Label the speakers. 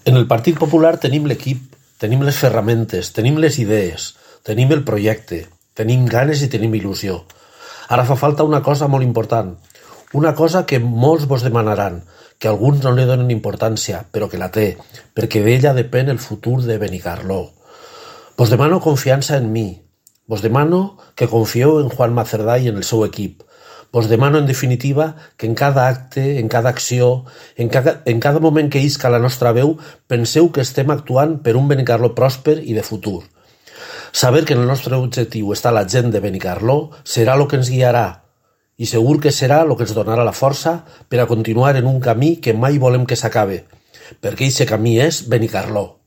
Speaker 1: En el Partit Popular tenim l'equip, tenim les ferramentes, tenim les idees, tenim el projecte, tenim ganes i tenim il·lusió. Ara fa falta una cosa molt important, una cosa que molts vos demanaran, que alguns no li donen importància, però que la té, perquè d'ella depèn el futur de Benicarló. Vos demano confiança en mi, vos demano que confieu en Juanma Cerdà i en el seu equip. Vos demano, en definitiva, que en cada acte, en cada acció, en cada moment que isca la nostra veu, penseu que estem actuant per un Benicarló pròsper i de futur. Saber que en el nostre objectiu està la gent de Benicarló serà el que ens guiarà, i segur que serà el que ens donarà la força per a continuar en un camí que mai volem que s'acabe, perquè aquest camí és Benicarló.